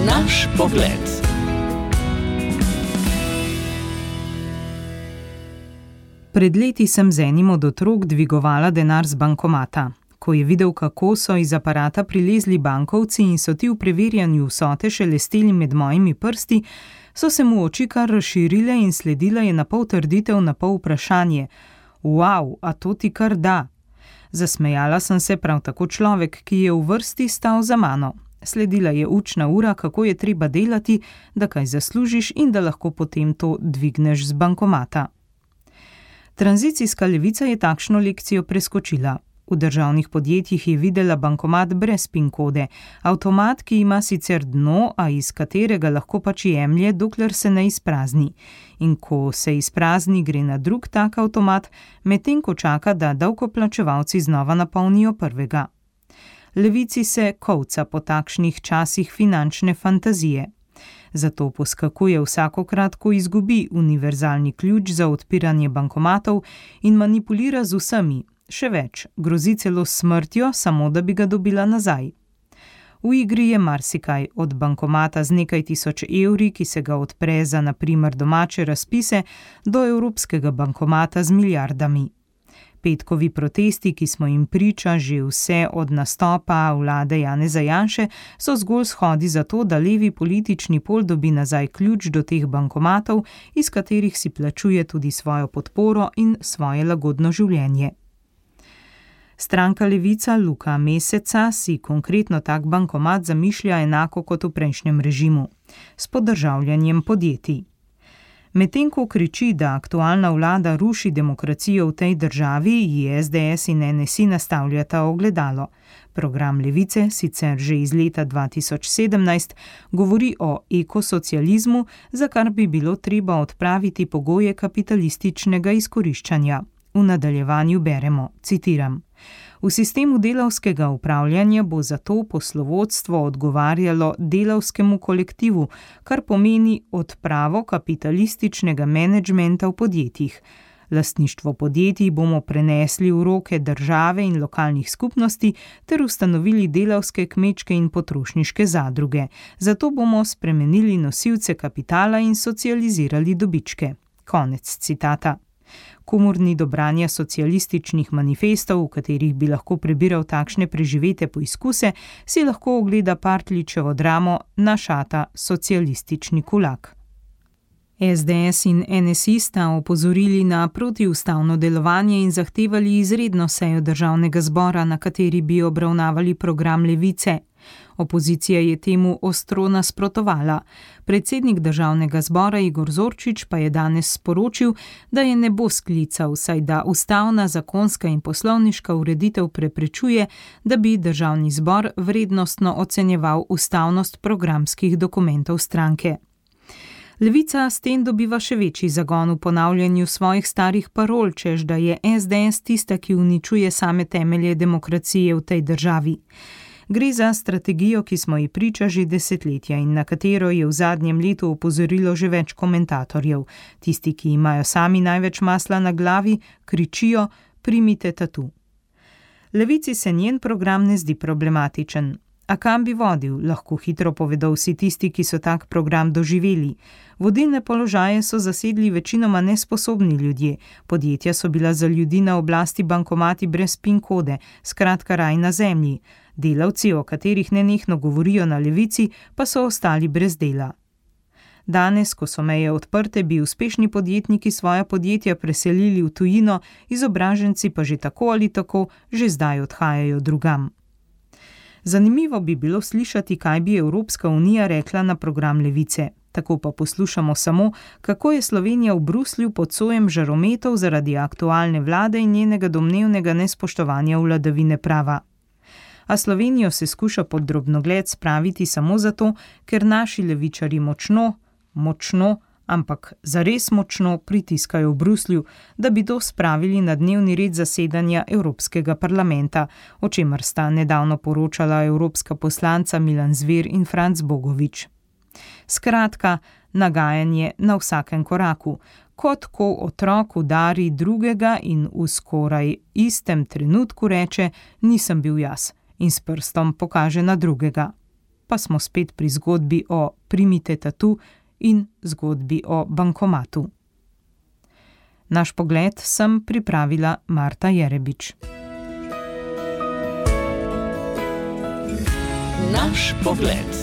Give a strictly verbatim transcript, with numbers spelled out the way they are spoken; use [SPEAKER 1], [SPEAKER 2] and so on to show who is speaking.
[SPEAKER 1] Naš pogled.
[SPEAKER 2] Pred leti sem z enim od otrok dvigovala denar z bankomata. Ko je videl, kako so iz aparata prilezli bankovci in so ti v preverjanju vsote šelesteli med mojimi prsti, so se mu oči kar razširile in sledila je napol trditev, napol vprašanje. Wow, a to ti kar da? Zasmejala sem se prav tako človek, ki je v vrsti stal za mano. Sledila je učna ura, kako je treba delati, da kaj zaslužiš in da lahko potem to dvigneš z bankomata. Tranzicijska levica je takšno lekcijo preskočila. V državnih podjetjih je videla bankomat brez PIN kode, avtomat, ki ima sicer dno, a iz katerega lahko pač jemlje, dokler se ne izprazni. In ko se izprazni, gre na drug tak avtomat, medtem ko čaka, da davkoplačevalci znova napolnijo prvega. Levici se kovca po takšnih časih finančne fantazije. Zato poskakuje vsakokrat, ko izgubi univerzalni ključ za odpiranje bankomatov in manipulira z vsemi. Še več, grozi celo s smrtjo, samo da bi ga dobila nazaj. V igri je marsikaj, od bankomata z nekaj tisoč evri, ki se ga odpre za na primer domače razpise, do evropskega bankomata z milijardami. Petkovi protesti, ki smo jim priča že vse od nastopa vlade Janeza Janše, so zgolj shodi za to, da levi politični pol dobi nazaj ključ do teh bankomatov, iz katerih si plačuje tudi svojo podporo in svoje lagodno življenje. Stranka Levica Luka Meseca si konkretno tak bankomat zamišlja enako kot v prejšnjem režimu, s podržavljanjem podjetij. Medtem ko kriči, da aktualna vlada ruši demokracijo v tej državi, ji S D S in N S I nastavljata ogledalo. Program Levice, sicer že iz leta dva tisoč sedemnajst, govori o ekosocializmu, za kar bi bilo treba odpraviti pogoje kapitalističnega izkoriščanja. V nadaljevanju beremo, citiram. V sistemu delavskega upravljanja bo zato poslovodstvo odgovarjalo delavskemu kolektivu, kar pomeni odpravo kapitalističnega menedžmenta v podjetjih. Lastništvo podjetij bomo prenesli v roke države in lokalnih skupnosti ter ustanovili delavske, kmečke in potrošniške zadruge. Zato bomo spremenili nosilce kapitala in socializirali dobičke. Konec citata. Komorni do branja socialističnih manifestov, v katerih bi lahko prebiral takšne preživete poizkuse, si lahko ogleda Partljičevo dramo Našata socialistični kulak. S D S in N S I sta opozorili na protiustavno delovanje in zahtevali izredno sejo državnega zbora, na kateri bi obravnavali program Levice. Opozicija je temu ostro nasprotovala. Predsednik državnega zbora Igor Zorčič pa je danes sporočil, da je ne bo sklical, saj da ustavna, zakonska in poslovniška ureditev preprečuje, da bi državni zbor vrednostno ocenjeval ustavnost programskih dokumentov stranke. Levica s tem dobiva še večji zagon v ponavljanju svojih starih parol, čež da je S D S tista, ki uničuje same temelje demokracije v tej državi. Gre za strategijo, ki smo ji priča že desetletja in na katero je v zadnjem letu opozorilo že več komentatorjev. Tisti, ki imajo sami največ masla na glavi, kričijo, primite tatu. Levici se njen program ne zdi problematičen. A kam bi vodil, lahko hitro povedo vsi tisti, ki so tak program doživeli. Vodilne položaje so zasedli večinoma nesposobni ljudje, podjetja so bila za ljudi na oblasti bankomati brez PIN kode, skratka raj na zemlji. Delavci, o katerih nenehno govorijo na levici, pa so ostali brez dela. Danes, ko so meje odprte, bi uspešni podjetniki svoja podjetja preselili v tujino, izobraženci pa že tako ali tako že zdaj odhajajo drugam. Zanimivo bi bilo slišati, kaj bi Evropska unija rekla na program Levice. Tako pa poslušamo samo, kako je Slovenija v Bruslju pod sojem žarometov zaradi aktualne vlade in njenega domnevnega nespoštovanja vladavine prava. A Slovenijo se skuša pod drobnogled spraviti samo zato, ker naši levičari močno, močno, ampak zares močno pritiskajo v Bruslju, da bi to spravili na dnevni red zasedanja Evropskega parlamenta, o čemer sta nedavno poročala evropska poslanca Milan Zver in Franc Bogovič. Skratka, nagajanje na vsakem koraku, kot ko otrok udari drugega in v skoraj istem trenutku reče, nisem bil jaz, in s prstom pokaže na drugega. pa smo spet pri zgodbi o Primite tatu in zgodbi o bankomatu. Naš pogled sem pripravila Marta Jerebič.
[SPEAKER 1] Naš pogled.